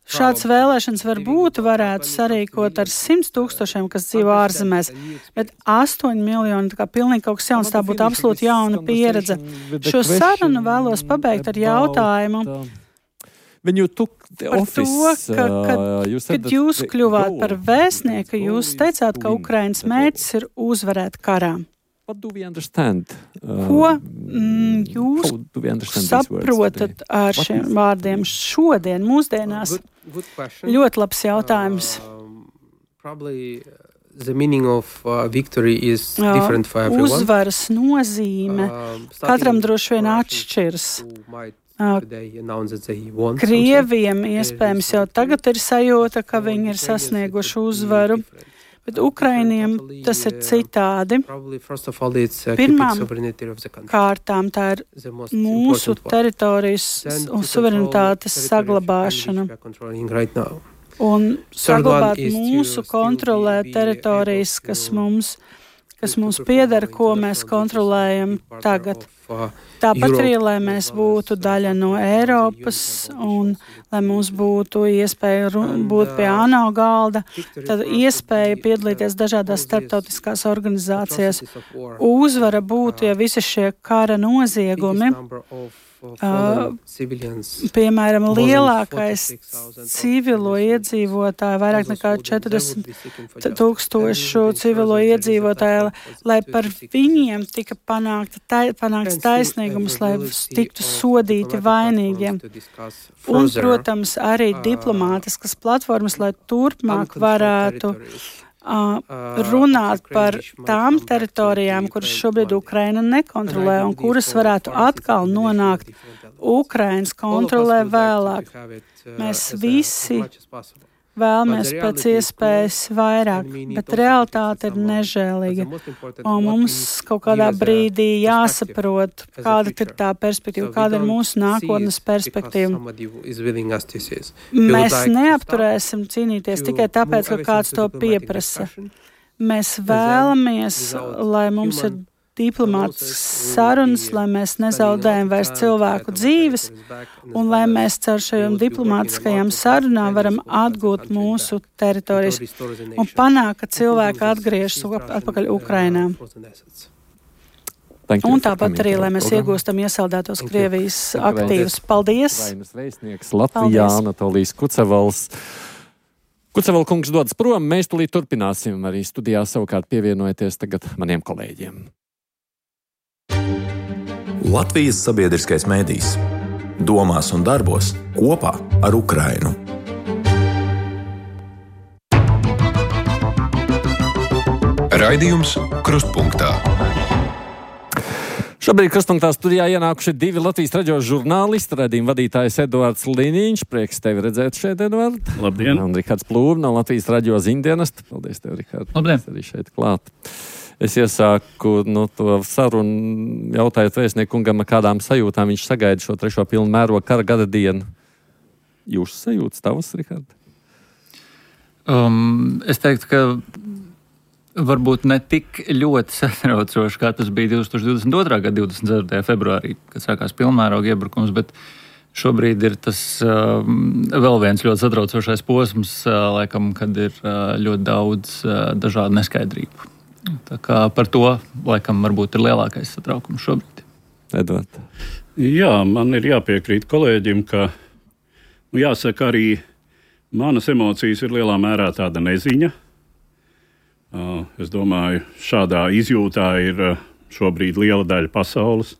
Šāds vēlēšanas varbūt varētu sarīkot ar simts tūkstošiem, kas dzīvo ārzemēs, bet astoņi miljoni, tā kā pilnīgi kaut kas jauns, tā būtu absolūti jauna pieredze. Šo sarunu vēlos pabeigt ar jautājumu par to, ka, kad, kad jūs kļuvāt par vēstnieku, jūs teicāt, ka Ukrainas mērķis ir uzvarēt karā. What do we understand? Uh, Ko mm, jūs saprotat ar šiem vārdiem šodien, mūsdienās? Good, good Ļoti labs jautājums. Uh, probably the meaning of uh, victory is different for everyone. Uzvaras nozīme uh, katram droši vien atšķirs. Uh, Krieviem iespējams jau tagad ir sajūta, ka viņi ir sasnieguši uzvaru. Bet Ukrainiem tas ir citādi. Pirmām kārtām tā ir mūsu teritorijas un suverenitātes saglabāšana. Un saglabāt mūsu kontrolē teritorijas, kas mums, kas mums pieder, ko mēs kontrolējam tagad. Tāpat arī, lai mēs būtu daļa no Eiropas un lai mums būtu iespēja būt pie ANO galda, tad iespēja piedalīties dažādās starptautiskās organizācijās. Uzvara būtu, ja visi šie kara noziegumi, Uh, piemēram, lielākais civilo iedzīvotāju, vairāk nekā četrdesmit tūkstošu civilo iedzīvotāju, lai par viņiem tika panākta, tai, panākts taisnīgums, lai tiktu sodīti vainīgiem. Un, protams, arī diplomātiskas platformas, lai turpmāk varētu Uh, runāt par tām teritorijām, kuras šobrīd Ukraina nekontrolē un kuras varētu atkal nonākt Ukrainas kontrolē vēlāk. Mēs visi vēlamies pēc iespējas vairāk, bet realitāte ir nežēlīga. Un mums kaut kādā brīdī jāsaprot, kāda ir tā perspektīva, kāda ir mūsu nākotnes perspektīva. Mēs neapturēsim cīnīties tikai tāpēc, ka kāds to pieprasa. Mēs vēlamies, lai mums ir diplomātiskas sarunas, lai mēs nezaudējam vairs cilvēku dzīves un lai mēs caur šajām diplomātiskajām sarunām varam atgūt mūsu teritorijas un panākt, ka cilvēki atgriežas atpakaļ Ukrainā. Un tāpat arī, lai mēs iegūstam iesaldētos Krievijas aktīvus. Paldies! Ukrainas vēstnieks Latvijā Anatolijas Kucevals. Kuceval kungs dodas prom, mēs tulīt turpināsim arī studijā savukārt pievienojoties tagad maniem kolēģiem. Latvijas sabiedriskais mēdījis domās un darbos kopā ar Ukrainu. Raidījums Krustpunktā. Šobrīd Krustpunktā studijā ienākuši divi Latvijas radio žurnālisti, raidījuma vadītājs Eduards Liniņš. Prieks tevi redzēt šeit, Eduard. Labdien. Un Rihards Plūme no Latvijas radio ziņdienesta. Paldies tev, Rihard. Labdien. Arī šeit klāt. Es iesāku no to sarunu, jautājot vēstniekungam, kādām sajūtām viņš sagaida šo trešo pilnu mērogu kara gada dienu. Jūsu sajūtas tavas, Rihard? Um, es teiktu, ka varbūt ne tik ļoti satraucoši, kā tas bija divdesmit otrā gada divdesmit ceturtajā februārī, kad sākās pilnmēroga iebrukums, bet šobrīd ir tas um, vēl viens ļoti satraucošais posms, uh, laikam, kad ir uh, ļoti daudz uh, dažādu neskaidrību. Tā kā par to, laikam, varbūt ir lielākais satraukums šobrīd. Edvard. Jā, man ir jāpiekrīt kolēģim, ka, nu, jāsaka, arī manas emocijas ir lielā mērā tāda neziņa. Uh, es domāju, šādā izjūtā ir uh, šobrīd liela daļa pasaules.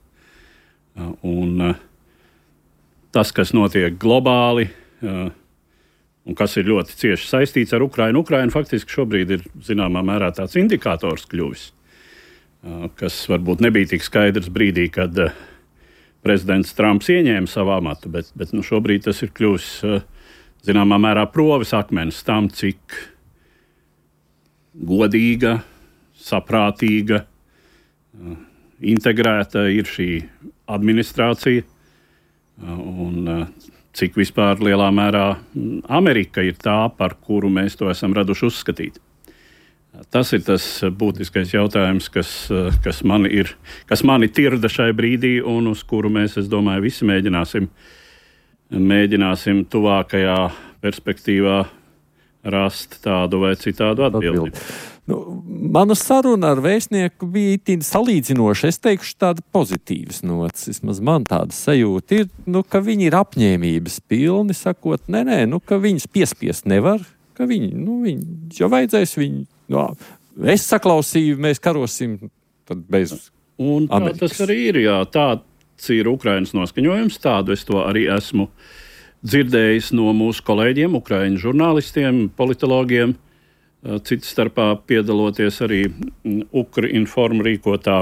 Uh, un uh, tas, kas notiek globāli, uh, un kas ir ļoti cieši saistīts ar Ukrainu. Ukraina faktiski šobrīd ir zināmā mērā tāds indikators kļuvis, kas varbūt nebija tik skaidrs brīdī, kad prezidents Trumps ieņēma savu amatu, bet, bet nu, šobrīd tas ir kļuvis zināmā mērā proves akmens tam, cik godīga, saprātīga, integrēta ir šī administrācija un cik vispār lielā mērā Amerika ir tā, par kuru mēs to esam raduši uzskatīt. Tas ir tas būtiskais jautājums, kas, kas, mani, ir, kas mani tirda šai brīdī un uz kuru mēs, es domāju, visi mēģināsim, mēģināsim tuvākajā perspektīvā rast tādu vai citādu atbildi. Nu, mana saruna ar vēstnieku bija itin salīdzinoša. Es teikšu tāda pozitīvas nots. Vismaz man tāda sajūta ir, nu, ka viņi ir apņēmības pilni, sakot, nē, nē, nu, ka viņus piespiest nevar, ka viņi, nu, viņi, jo vajadzēs viņi, nu, es saklausīju, mēs karosim, tad bez un tā Amerikas. Tas arī ir, jā, tāds ir Ukrainas noskaņojums, tādu es to arī esmu dzirdējis no mūsu kolēģiem, Ukraiņu žurnālistiem, politologiem, citas starpā piedaloties arī Ukrinform rīkotā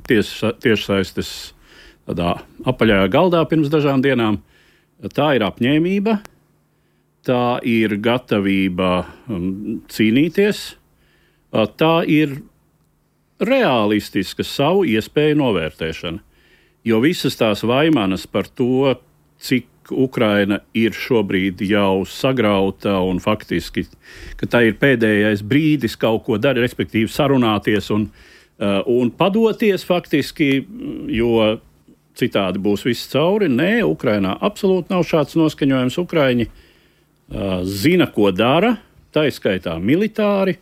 tiešsaistes tādā apaļajā galdā pirms dažām dienām. Tā ir apņēmība, tā ir gatavība cīnīties, tā ir realistiska savu iespēju novērtēšana. Jo visas tās vaimanas par to, cik Ukraina ir šobrīd jau sagrauta un faktiski, ka tā ir pēdējais brīdis kaut ko darīt, respektīvi sarunāties un, uh, un padoties faktiski, jo citādi būs viss cauri. Nē, Ukrainā absolūti nav šāds noskaņojums. Ukraiņi uh, zina, ko dara, tā izskaitā militāri.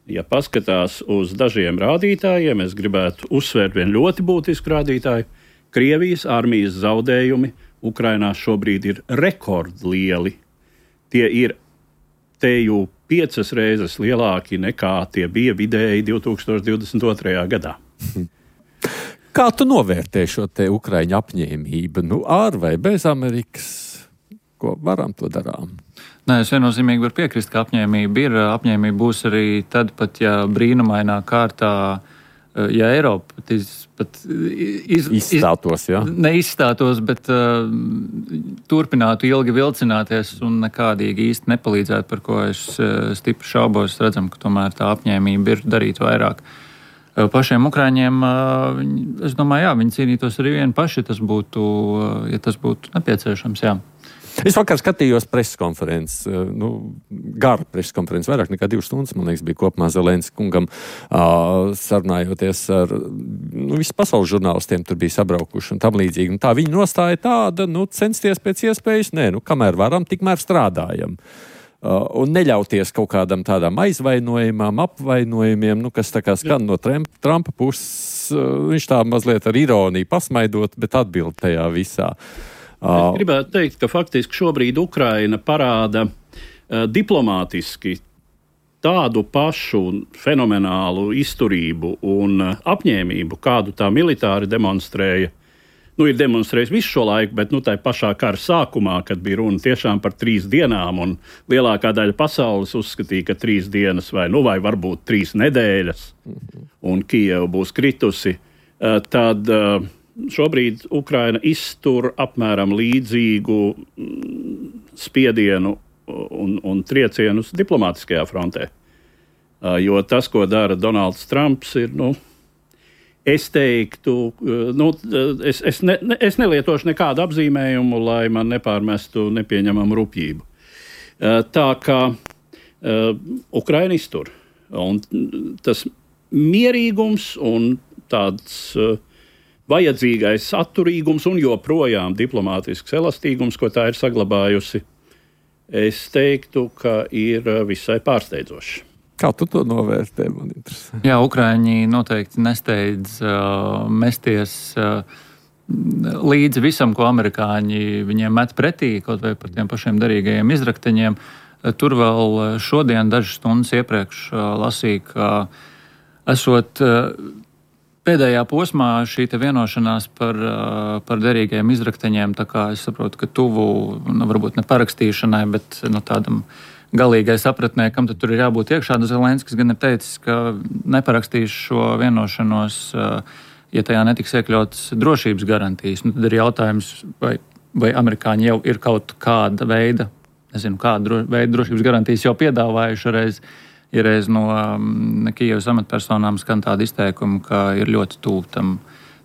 Ja paskatās uz dažiem rādītājiem, es gribētu uzsvērt vienu ļoti būtisku rādītāju. Krievijas armijas zaudējumi Ukrainā šobrīd ir rekordlieli. Tie ir teju piecas reizes lielāki nekā tie bija vidēji divtūkstoš divdesmit otrajā gadā. Kā tu novērtē šo te Ukraiņu apņēmību? Nu, ar vai bez Amerikas? Ko varam, to darām? Nē, es viennozīmīgi varu piekrist, ka apņēmība ir. Apņēmība būs arī tad, pat ja brīnumainā kārtā, ja Eiropa pat iz, izstātos, jā? Neizstātos, bet uh, turpinātu ilgi vilcināties un nekādīgi īsti nepalīdzētu, par ko es uh, stipri šaubos. Redzam, ka tomēr tā apņēmība ir darīt vairāk. Pašiem Ukraiņiem, es domāju, jā, viņi cīnītos arī vieni paši, tas būtu, ja tas būtu nepieciešams, jā. Es vakar skatījos preskonferences, nu, gara preskonferences, vairāk nekā divas stundas, man liekas, bija kopumā Zelenska kungam, uh, sarunājoties ar, nu, visu pasaules žurnālistiem tur bija sabraukuši un tam līdzīgi. Un tā viņa nostāja tāda, nu, censties pēc iespējas, nē, nu, kamēr varam, tikmēr strādājam. Uh, un neļauties kaut kādam tādām aizvainojumam, apvainojumiem, nu, kas tā kā skan no Trumpa puses, uh, viņš tā mazliet ar ironiju pasmaidot, bet atbild tajā visā. Uh, es gribētu teikt, ka faktiski šobrīd Ukraina parāda uh, diplomātiski tādu pašu fenomenālu izturību un uh, apņēmību, kādu tā militāri demonstrēja. Nu, ir demonstrējis visu šo laiku, bet nu, tā pašā kara sākumā, kad bija runa tiešām par trīs dienām, un lielākā daļa pasaules uzskatīja, ka trīs dienas vai, nu, vai varbūt trīs nedēļas, un Kijeva būs kritusi, tad šobrīd Ukraina iztur apmēram līdzīgu spiedienu un, un triecienus diplomātiskajā frontē. Jo tas, ko dara Donalds Trumps, ir, nu, Es teiktu, nu, es, es, ne, es nelietošu nekādu apzīmējumu, lai man nepārmestu nepieņemamu rupjību. Tā kā uh, Ukraina iztur. Un tas mierīgums un tāds uh, vajadzīgais atturīgums un joprojām diplomātisks elastīgums, ko tā ir saglabājusi, es teiktu, ka ir visai pārsteidzoši. Kā tu to novērtē, man interesē? Jā, Ukraiņi noteikti nesteidz uh, mesties uh, līdzi visam, ko amerikāņi viņiem met pretī, kaut vai par tiem pašiem derīgajiem izrakteņiem. Uh, tur vēl šodien, dažas stundas iepriekš, uh, lasīju, ka esot uh, pēdējā posmā šī te vienošanās par, uh, par derīgajiem izrakteņiem, tā kā es saprotu, ka tuvu, nu, varbūt ne parakstīšanai, bet nu, tādam galīgai sapratnē, kam tad tur ir jābūt iekšā. Zelenskis gan ir teicis, ka neparakstīs šo vienošanos, ja tajā netiks iekļauts drošības garantijas. Nu, tad ir jautājums, vai, vai amerikāņi jau ir kaut kāda veida, nezinu, kāda veida drošības garantijas jau piedāvājuši reiz. Ir reiz no um, Kijevas amatpersonām skan tāda izteikuma, ka ir ļoti tuvu tam,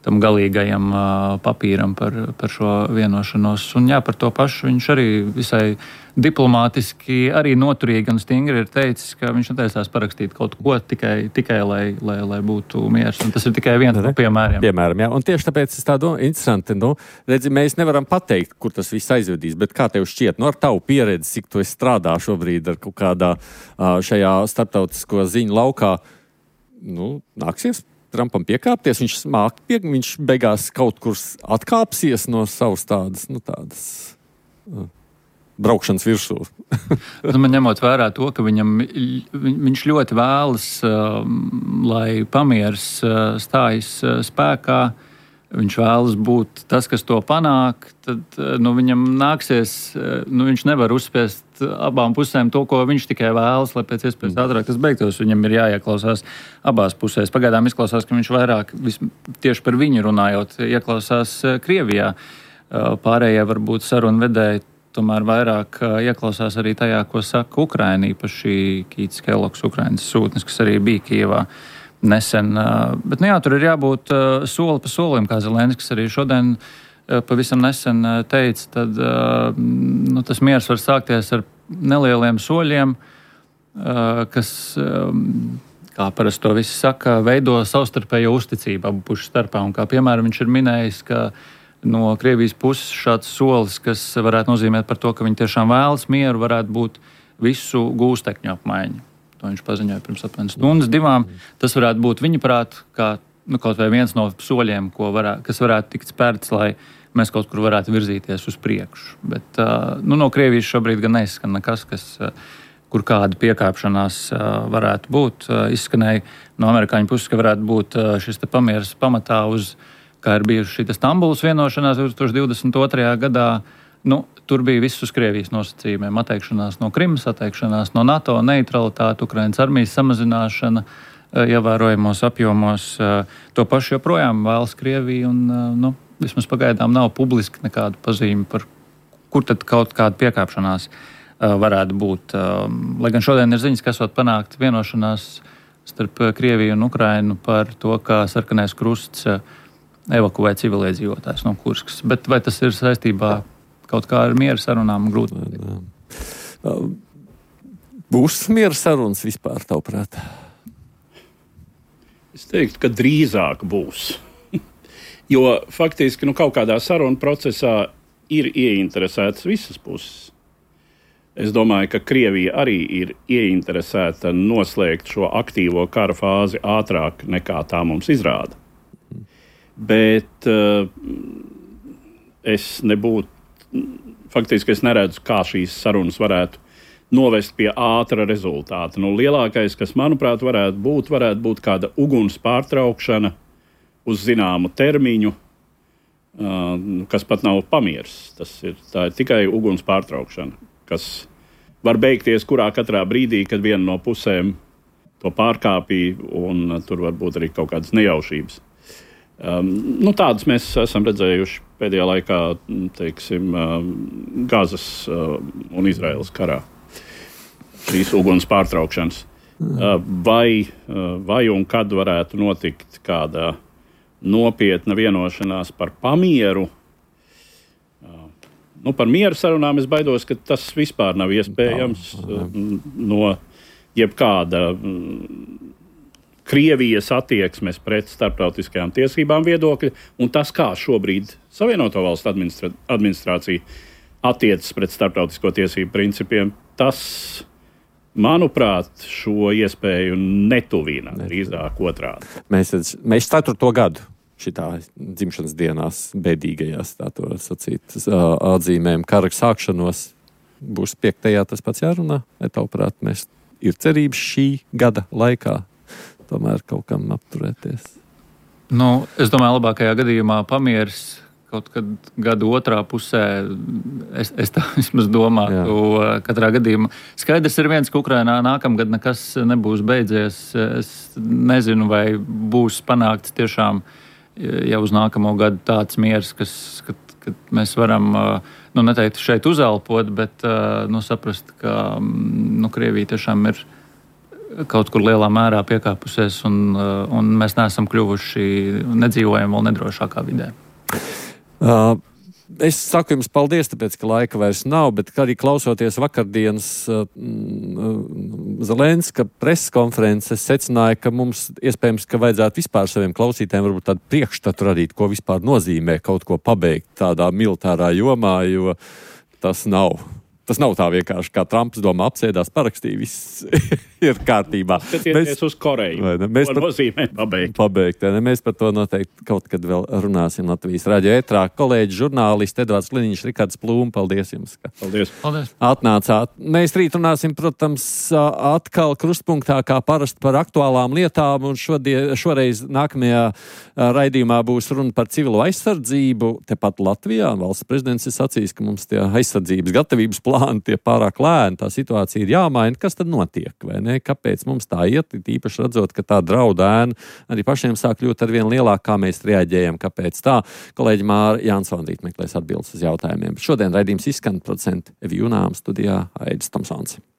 tam galīgajam uh, papīram par, par šo vienošanos. Un jā, par to pašu viņš arī visai diplomātiski, arī noturīgi un stingri ir teicis, ka viņš netaisās parakstīt kaut ko tikai, tikai lai, lai, lai būtu miers. Un tas ir tikai viens no piemēriem. Piemēram, jā. Un tieši tāpēc es tā domāju, interesanti, nu, redzi, mēs nevaram pateikt, kur tas viss aizvedīs, bet kā tev šķiet, nu, ar tavu pieredzi, cik tu esi strādā šobrīd ar kaut kādā šajā starptautisko ziņu laukā, nu, nāksies Trumpam piekāpties, viņš smāk pie, viņš beigās kaut kur atkāpsies no savas tādas, nu, tādas uh, braukšanas virsū. Man ņemot vērā to, ka viņam, viņš ļoti vēlas, uh, lai pamieris uh, stājas uh, spēkā, viņš vēlas būt tas, kas to panāk, tad nu, viņam nāksies, nu, viņš nevar uzspiest abām pusēm to, ko viņš tikai vēlas, lai pēc iespējas ātrāk tas beigtos. Viņam ir jāieklausās abās pusēs. Pagaidām izklausās, ka viņš vairāk vis, tieši par viņu runājot, ieklausās Krievijā. Pārējie varbūt sarunvedēji tomēr vairāk ieklausās arī tajā, ko saka Ukraina, īpaši Kīts Kellogs, Ukrainas sūtnis, kas arī bija Kijevā nesen. Bet, nu jā, tur ir jābūt soli pa solim, kā Zelenskis arī šodien pavisam nesen teica, tad nu, tas miers var sākties ar nelieliem soļiem, kas, kā parasti to visi saka, veido savstarpējo uzticību abu pušu starpā. Un kā piemēram viņš ir minējis, ka no Krievijas puses šāds solis, kas varētu nozīmēt par to, ka viņi tiešām vēlas mieru, varētu būt visu gūstekņu apmaiņu. To viņš paziņoja pirms apmēram stundas divām. Tas varētu būt viņa prāt, kā nu, kaut vai viens no soļiem, ko varētu, kas varētu tikt spērts, lai mēs kaut kur varētu virzīties uz priekšu. Bet nu, no Krievijas šobrīd gan neizskan nekas, kas, kur kāda piekāpšanās varētu būt. Izskanēja no amerikāņu puses, ka varētu būt šis te pamieris pamatā uz, kā ir bijuši šī Stambulas vienošanās divtūkstoš divdesmit otrajā gadā. Nu, tur bija viss uz Krievijas nosacījumiem. Atteikšanās no Krimas, atteikšanās no NATO, neutralitāte, Ukrainas armijas samazināšana ievērojamos apjomos. To pašu joprojām vēlas Krievija un nu, vismaz pagaidām nav publiski nekādu pazīmi par, kur tad kaut kāda piekāpšanās varētu būt. Lai gan šodien ir ziņas, ka esot panākt vienošanās starp Krieviju un Ukrainu par to, kā sarkanais krusts evakuē civiliedzīvotājus no Kurskas. Bet vai tas ir saistībā kaut kā ar miera sarunām? Grūti. Būs miera sarunas vispār, tavuprāt? Es teiktu, ka drīzāk būs. Jo faktiski nu, kaut kādā sarunu procesā ir ieinteresētas visas puses. Es domāju, ka Krievija arī ir ieinteresēta noslēgt šo aktīvo kara fāzi ātrāk nekā tā mums izrāda. Bet uh, es nebūtu, faktiski es neredzu, kā šīs sarunas varētu novest pie ātra rezultāta. Nu, lielākais, kas, manuprāt, varētu būt, varētu būt kāda uguns pārtraukšana uz zināmu termiņu, uh, kas pat nav pamieris. Tas ir, tā ir tikai uguns pārtraukšana, kas var beigties kurā katrā brīdī, kad viena no pusēm to pārkāpīja, un uh, tur var būt arī kaut kādas nejaušības. Um, nu, tādas mēs esam redzējuši pēdējā laikā, teiksim, uh, Gazas uh, un Izraēlas karā. Šīs uguns pārtraukšanas. Uh, vai, uh, vai un kad varētu notikt kāda nopietna vienošanās par pamieru? Uh, nu, par mieru sarunām es baidos, ka tas vispār nav iespējams uh, no jebkāda uh, Krievijas attieksmes pret starptautiskajām tiesībām viedokļa, un tas, kā šobrīd Savienoto Valstu administra- administrācija attiecas pret starptautisko tiesību principiem, tas, manuprāt, šo iespēju netuvina, drīzāk otrādi. Mēs, mēs ceturto gadu šitā dzimšanas dienās bēdīgajās, tā to var sacīt, atzīmēm kara sākšanos. Būs piektajā tas pats jārunā, vai tavuprāt, mēs ir cerības šī gada laikā tomēr kaut kam apturēties? Nu, es domāju, labākajā gadījumā pamieris kaut kad gada otrā pusē, es, es tā vismaz domātu, katrā gadījumā. Skaidrs ir viens, ka Ukrainā nākamgad nekas nebūs beidzies. Es nezinu, vai būs panākts tiešām jau uz nākamo gadu tāds miers, kas, kad, kad mēs varam, nu, neteikt šeit uzelpot, bet nu, saprast, ka nu, Krievija tiešām ir kaut kur lielā mērā piekāpusies, un, un mēs neesam kļuvuši, nedzīvojam vēl nedrošākā vidē. Uh, es saku jums paldies, tāpēc, ka laika vairs nav, bet arī klausoties vakardienas uh, Zelenska preses konferences, secināja, ka mums iespējams, ka vajadzētu vispār saviem klausītājiem varbūt tādu priekšstatu radīt, ko vispār nozīmē kaut ko pabeigt tādā militārā jomā, jo tas nav. Tas nav tā vienkārši, kā Trumps domā, apsēdās, parakstīja, viss ir kārtībā. Skatieties uz Koreju, mēs ko nozīmē pabeigt. pabeigt. Ne, mēs par to noteikti kaut kad vēl runāsim Latvijas radio ētrā. Kolēģi, žurnālisti Edvards Liniņš, Rikards Plūm, paldies jums, ka Paldies. Paldies. atnācāt. Mēs rīt runāsim, protams, atkal krustpunktā kā parasti par aktuālām lietām, un šodien, šoreiz nākamajā raidījumā būs runa par civilo aizsardzību. Tepat Latvijā valsts prezidents ir sacījis, ka mums tie aizsardzības gatavības plāni tie pārāk lēni, tā situācija ir jāmaina. Kas tad notiek, vai ne? Kāpēc mums tā iet? Īpaši redzot, ka tā drauda ēna arī pašiem sāk kļūt ar vien lielāk, kā mēs reaģējam, kāpēc tā. Kolēģi Māra Jansona rīt meklēs atbildes uz jautājumiem. Šodien raidījums izskan, producenti Evi Junām, studijā Aidis Tomsons.